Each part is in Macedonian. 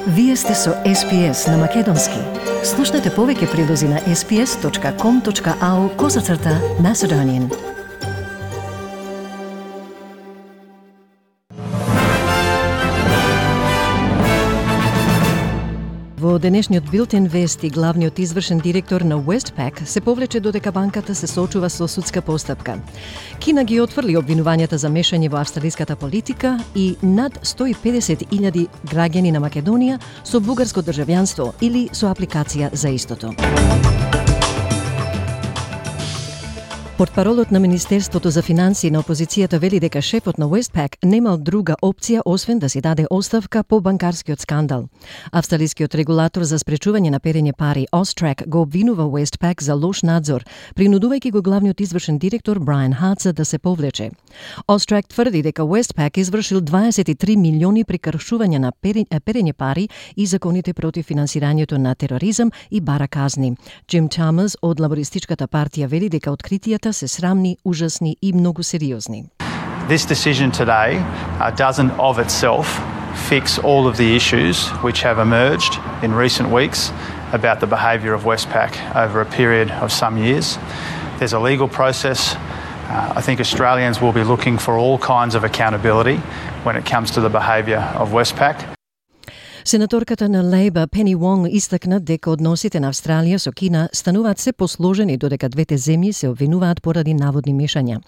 Вие сте со SPS на Македонски. Слушнете повеќе прилози на sps.com.au/Macedonian. Во денешниот билтен вести, главниот извршен директор на Westpac се повлече додека банката се соочува со судска постапка. Кина ги отфрли обвинувањата за мешање во австралиската политика и над 150.000 граѓани на Македонија со бугарско државјанство или со апликација за истото. Портпаролот на Министерството за финансии на опозицијата вели дека шефот на Westpac немал друга опција освен да си даде оставка по банкарскиот скандал. Австралискиот регулатор за спречување на перење пари AUSTRAC го обвинува Westpac за лош надзор, принудувајќи го главниот извршен директор Брайан Хаца да се повлече. AUSTRAC тврди дека Westpac извршил 23 милиони прекршувања на перење пари и законите против финансирањето на тероризам и бара казни. Джим Чалмерс од Лабористичката партија вели дека откритијата се срамни, ужасни и многу сериозни. This decision today doesn't of itself fix all of the issues which have emerged in recent weeks about the behaviour of Westpac over a period of some years. There's a legal process. I think Australians will be looking for all kinds of accountability when it comes to the behaviour of Westpac. Сенаторката на Лейбър Пени Вонг истакна дека односите на Австралија со Кина стануваат се посложени додека двете земји се обвинуваат поради наводни мешања.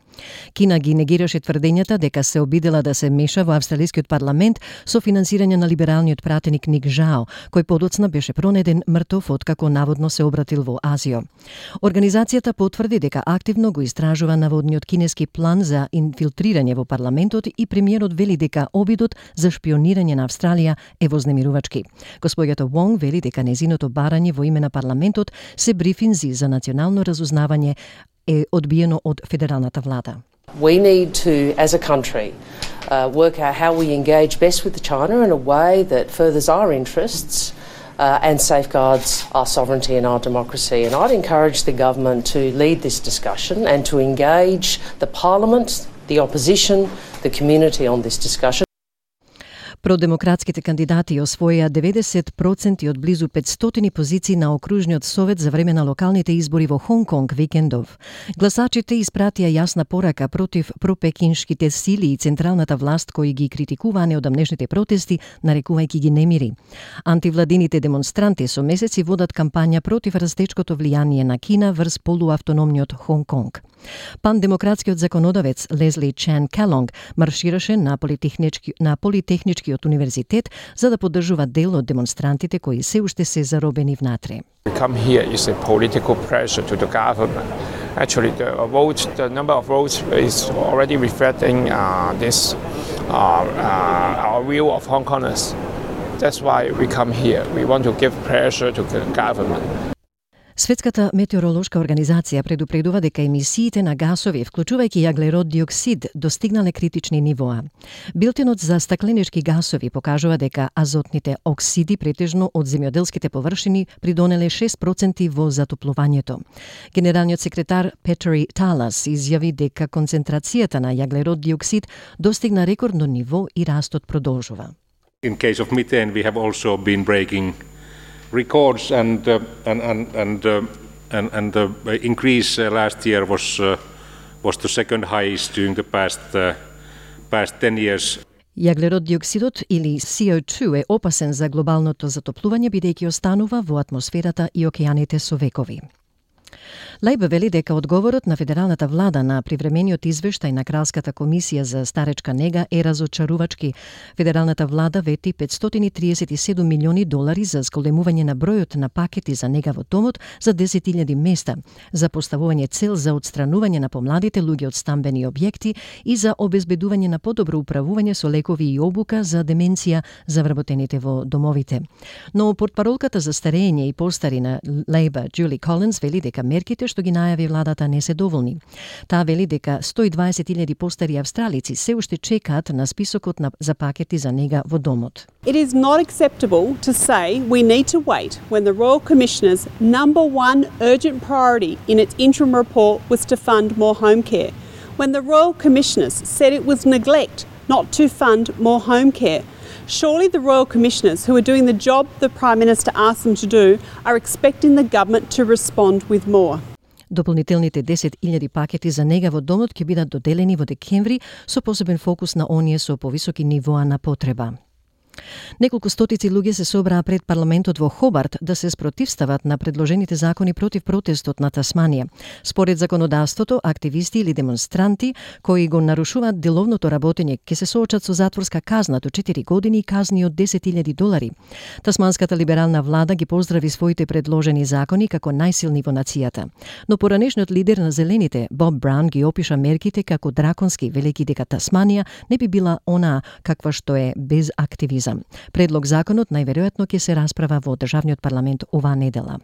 Кина ги негираше тврдењата дека се обидела да се меша во австралискиот парламент со финансирање на либералниот пратеник Ник Жао, кој подоцна беше пронеден мртов откако наводно се обратил во Азија. Организацијата потврди дека активно го истражува наводниот кинески план за инфилтрирање во парламентот и премиерот вели дека обидот за шпионирање на Австралија е вознемирувачки. Господјата Вонг вели дека незиното барање во име на парламентот се брифинзи за национално разузнавање е одбиено од федералната влада. We need to, as a country, work out how we engage best with China in a way that furthers our interests and safeguards our sovereignty and our democracy. And I'd encourage the government to lead this discussion and to engage the parliament, the opposition, the community on this discussion. Продемократските кандидати освоија 90% од близу 500 позиции на окружниот совет за време на локалните избори во Хонг Конг викендов. Гласачите испратија јасна порака против пропекиншките сили и централната власт кои ги критикуваа неодамнешните протести, нарекувајќи ги немири. Антивладините демонстранти со месеци водат кампања против растечкото влијание на Кина врз полуавтономниот Хонг Конг. Пандемократскиот законодавец Лезли Чан Келонг маршираше на Политехничкиот универзитет за да поддржува дел од демонстрантите кои се уште се заробени внатре. Come here is a political pressure to the government. Actually, the number of votes is already reflecting our view of Hong Kongers. That's why we come here. We want to give pressure to the government. Светската метеоролошка организација предупредува дека емисиите на гасови, вклучувајќи јаглерод диоксид, достигнале критични нивоа. Билтенот за стакленички гасови покажува дека азотните оксиди претежно од земјоделските површини придонеле 6% во затоплувањето. Генералниот секретар Петери Талас изјави дека концентрацијата на јаглерод диоксид достигна рекордно ниво и растот продолжува. In case of methane, we have also been breaking records, and the increase last year was the second highest during the past 10 years. Јаглерод диоксидот или CO2 е опасен за глобалното затоплување бидејќи останува во атмосферата и океаните со векови. Лајбе вели дека одговорот на федералната влада на привремениот извештај на Кралската комисија за старечка нега е разочарувачки. Федералната влада вети 537 милиони долари за зголемување на бројот на пакети за нега во домот за 10.000 места, за поставување цел за отстранување на помладите луѓе од стамбени објекти и за обезбедување на подобро управување со лекови и обука за деменција за вработените во домовите. Но портпаролката за старење и постари на Лајбе Джули Колинс вели дека мерките што ги најави владата не се доволни. Таа вели дека 120.000 постари австралици се уште чекаат на списокот за пакети за нега во домот. It is not acceptable to say we need to wait when the Royal Commissioner's number one urgent priority in its interim report was to fund more home care. When the Royal Commissioners said it was neglect not to fund more home care. Surely the Royal Commissioners, who are doing the job the Prime Minister asked them to do, are expecting the government to respond with more. Дополнителните 10.000 пакети за нега во домот ќе бидат доделени во декември со посебен фокус на оние со повисоки нивоа на потреба. Неколку стотици луѓе се собраа пред парламентот во Хобарт да се спротивстават на предложените закони против протестот на Тасманија. Според законодавството, активисти или демонстранти кои го нарушуваат деловното работење ќе се соочат со затворска казна до 4 години и казни од $10,000. Тасманската либерална влада ги поздрави своите предложени закони како најсилни во нацијата. Но поранешниот лидер на Зелените, Боб Браун, ги опиша мерките како драконски, велејќи дека Тасманија не би била онаа каква што е без активизм. Предлог законот најверојатно ќе се расправа во државниот парламент оваа недела.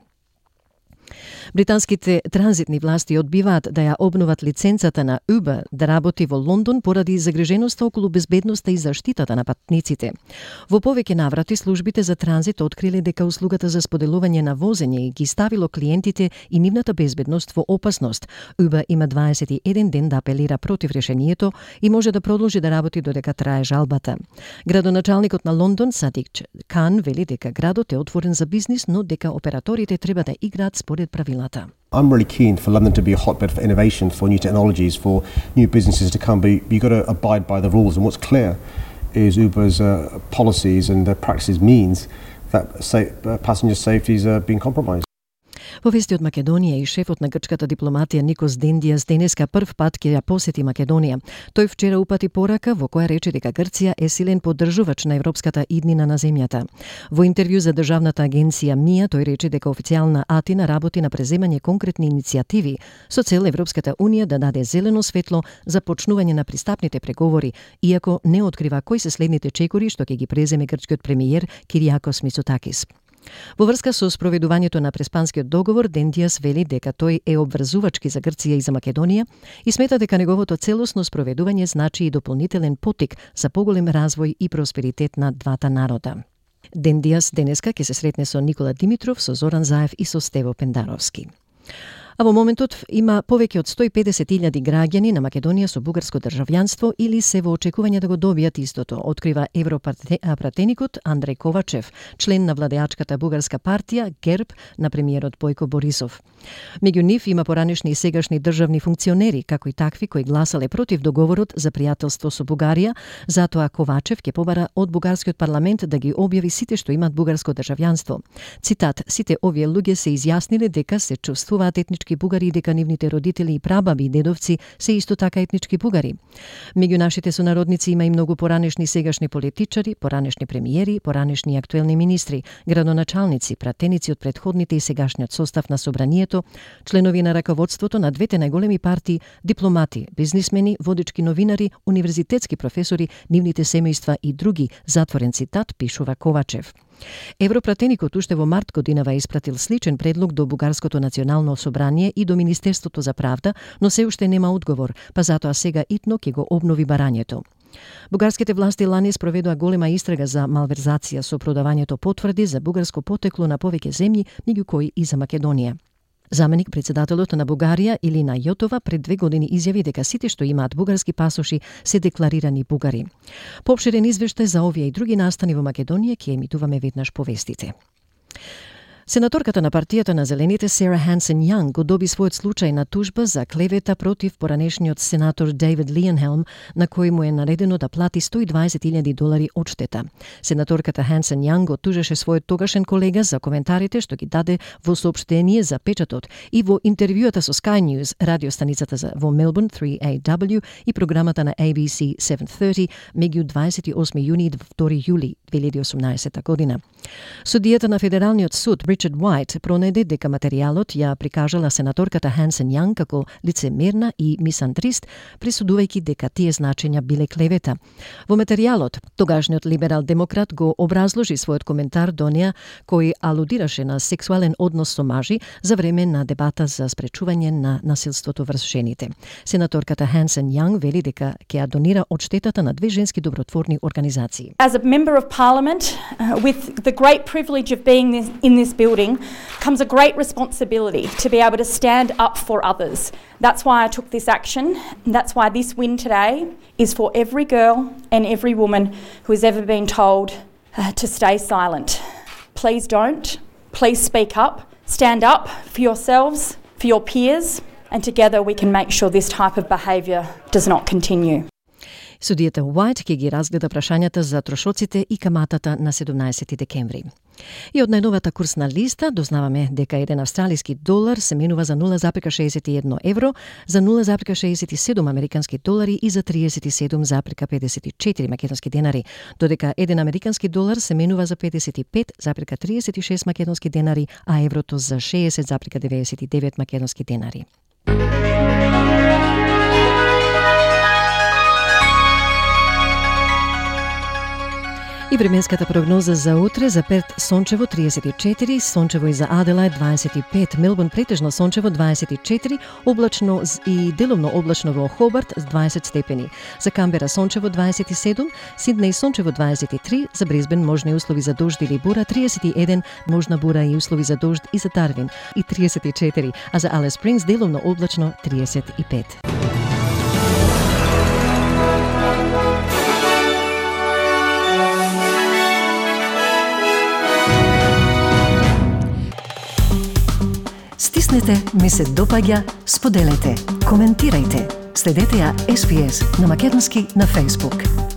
Британските транзитни власти одбиваат да ја обноват лиценцата на Uber да работи во Лондон поради загриженоста околу безбедноста и заштитата на патниците. Во повеќе наврати службите за транзит откриле дека услугата за споделување на возење ги ставило клиентите и нивната безбедност во опасност. Uber има 21 ден да апелира против решението и може да продолжи да работи додека трае жалбата. Градоначалникот на Лондон, Садик Кан, вели дека градот е отворен за бизнис, но дека операторите треба да играат според правилата. I'm really keen for London to be a hotbed for innovation, for new technologies, for new businesses to come, but you've got to abide by the rules. And what's clear is Uber's policies and their practices means that passenger safety is being compromised. Во вести од Македонија и шефот на грчката дипломатија Никос Дендијас денеска прв пат ќе ја посети Македонија. Тој вчера упати порака во која рече дека Грција е силен поддржувач на европската иднина на земјата. Во интервју за државната агенција МИА тој рече дека официјална Атина работи на преземање конкретни иницијативи со цел Европската унија да даде зелено светло за почнување на пристапните преговори, иако не открива кои се следните чекори што ќе ги преземе грчкиот премиер Кириакос Мицотакис. Во врска со спроведувањето на Преспанскиот договор, Дендијас вели дека тој е обврзувачки за Грција и за Македонија и смета дека неговото целосно спроведување значи и дополнителен поттик за поголем развој и просперитет на двата народа. Дендијас денеска ќе се сретне со Никола Димитров, со Зоран Заев и со Стево Пендаровски. А во моментот има повеќе од 150.000 граѓани на Македонија со бугарско државјанство или се во очекување да го добијат истото, открива европратеникот Андреј Ковачев, член на владеачката бугарска партија ГЕРБ на премиерот Бојко Борисов. Меѓу нив има поранешни и сегашни државни функционери, како и такви кои гласале против договорот за пријателство со Бугарија, затоа Ковачев ќе побара од бугарскиот парламент да ги објави сите што имаат бугарско државјанство. Цитат: "Сите овие луѓе се изјасниле дека се чувствуваат етнички бугари и дека нивните родители и прабаби и дедовци се исто така етнички бугари. Меѓу нашите сонародници има и многу поранешни сегашни политичари, поранешни премиери, поранешни и актуелни министри, градоначалници, пратеници од претходните и сегашниот состав на собранието, членови на раководството на двете најголеми партии, дипломати, бизнисмени, водички новинари, универзитетски професори, нивните семејства и други", затворен цитат, пишува Ковачев. Европратеникот уште во март годинава испратил сличен предлог до Бугарското национално собрание и до Министерството за правда, но се уште нема одговор, па затоа сега итно ќе го обнови барањето. Бугарските власти лани спроведоа голема истрага за малверзација со продавањето потврди за бугарско потекло на повеќе земји, меѓу кои и за Македонија. Заменик председателот на Бугарија Илина Јотова пред 2 години изјави дека сите што имаат бугарски пасоши се декларирани бугари. Поопширен извештај за овие и други настани во Македонија ќе емитуваме веднаш по вестите. Сенаторката на партијата на Зелените Сара Хансен Јанг го доби својот случај на тужба за клевета против поранешниот сенатор Дейвид Лиенхелм, на кој му е наредено да плати $120,000 одштета. Сенаторката Хансен Јанг го тужеше својот тогашен колега за коментарите што ги даде во соопштение за печатот и во интервјуата со Sky News, радиостаницата во Мелбурн 3AW и програмата на ABC 730 меѓу 28 јуни и 2 јули 2018 година. Судијата на Федералниот суд Ричард Уајт пронеде дека материјалот ја прикажала сенаторката Хансен Јанг како лицемерна и мисандрист, присудувајќи дека тие значења биле клевета. Во материјалот, тогашниот либерал-демократ го образложи својот коментар до неа, кој алудираше на сексуален однос со мажи за време на дебата за спречување на насилството врз жените. Сенаторката Хансен Јанг вели дека ќе ја донира одштетата на 2 женски добротворни организации. As a member of Parliament, with the great privilege of being in this building, comes a great responsibility to be able to stand up for others. That's why I took this action, and that's why this win today is for every girl and every woman who has ever been told to stay silent. Please don't. Please speak up. Stand up for yourselves, for your peers, and together we can make sure this type of behaviour does not continue. Судијата Уајт ќе ги разгледа прашањата за трошоците и каматата на 17 декември. И од најновата курсна листа дознаваме дека еден австралиски долар се менува за 0,61 евро, за 0,67 американски долари и за 37,54 македонски денари, додека еден американски долар се менува за 55,36 македонски денари, а еврото за 60,99 македонски денари. И временската прогноза за утре: за Перт сончево 34, сончево и за Аделајд 25, Мелбурн претежно сончево 24, облачно и делумно облачно во Хобарт 20 степени. За Камбера сончево 27, Сиднеј сончево 23, за Брисбен можни услови за дожд или бура 31, можна бура и услови за дожд и за Дарвин и 34, а за Алис Спрингс делумно облачно 35. Стиснете, ми се допаѓа, споделете, коментирајте. Следете ја SPS на македонски на Facebook.